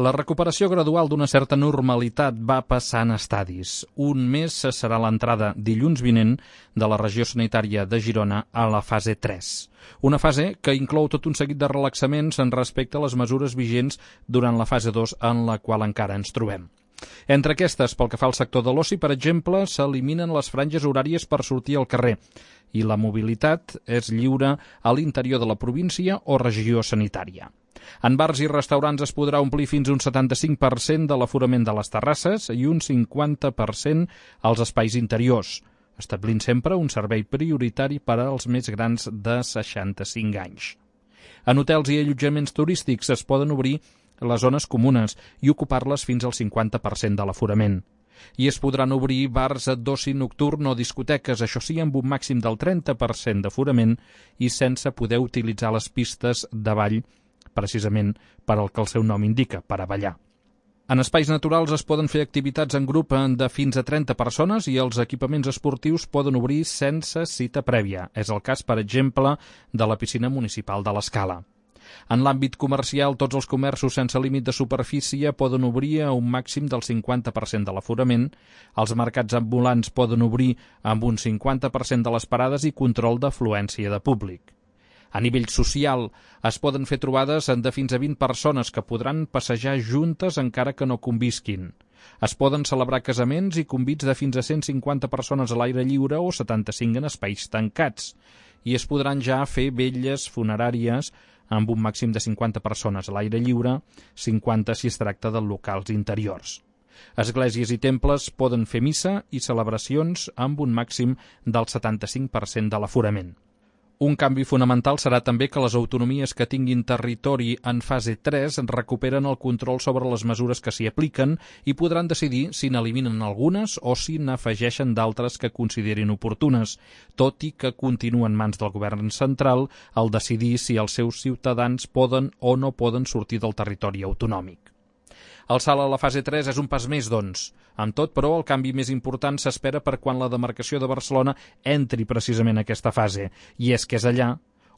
La recuperació gradual d'una certa normalitat va passant a estadis. Un mes serà l'entrada dilluns vinent de la regió sanitària de Girona a la fase 3. Una fase que inclou tot un seguit de relaxaments en respecte a les mesures vigents durant la fase 2 en la qual encara ens trobem. Entre aquestes, pel que fa al sector de l'oci, per exemple, s'eliminen les franges horàries per sortir al carrer i la mobilitat és lliure a l'interior de la província o regió sanitària. En bars i restaurants es podrà omplir fins a un 75% de l'aforament de les terrasses i un 50% als espais interiors, establint sempre un servei prioritari per als més grans de 65 anys. En hotels i allotjaments turístics es poden obrir les zones comunes i ocupar-les fins al 50% de l'aforament. I es podran obrir bars d'oci nocturn o discoteques, això sí, amb un màxim del 30% d'aforament i sense poder utilitzar les pistes de ball, precisament per al que el seu nom indica, per a ballar. En espais naturals es poden fer activitats en grup de fins a 30 persones i els equipaments esportius poden obrir sense cita prèvia. És el cas, per exemple, de la piscina municipal de l'Escala. En l'àmbit comercial, tots els comerços sense límit de superfície poden obrir a un màxim del 50% de l'aforament, els mercats ambulants poden obrir amb un 50% de les parades i control d'afluència de públic. A nivell social, es poden fer trobades de fins a 20 persones que podran passejar juntes encara que no convisquin. Es poden celebrar casaments i convits de fins a 150 persones a l'aire lliure o 75 en espais tancats. I es podran ja fer vetlles funeràries amb un màxim de 50 persones a l'aire lliure, 50 si es tracta de locals interiors. Esglésies i temples poden fer missa i celebracions amb un màxim del 75% de l'aforament. Un canvi fonamental serà també que les autonomies que tinguin territori en fase 3 recuperen el control sobre les mesures que s'hi apliquen i podran decidir si n'eliminen algunes o si n'afegeixen d'altres que considerin oportunes, tot i que continua en mans del govern central el decidir si els seus ciutadans poden o no poden sortir del territori autonòmic. El salt a la fase 3 és un pas més, doncs. Amb tot, però, el canvi més important s'espera per quan la demarcació de Barcelona entri precisament a aquesta fase, i és que és allà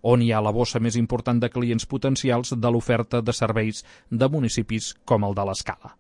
on hi ha la bossa més important de clients potencials de l'oferta de serveis de municipis com el de l'Escala.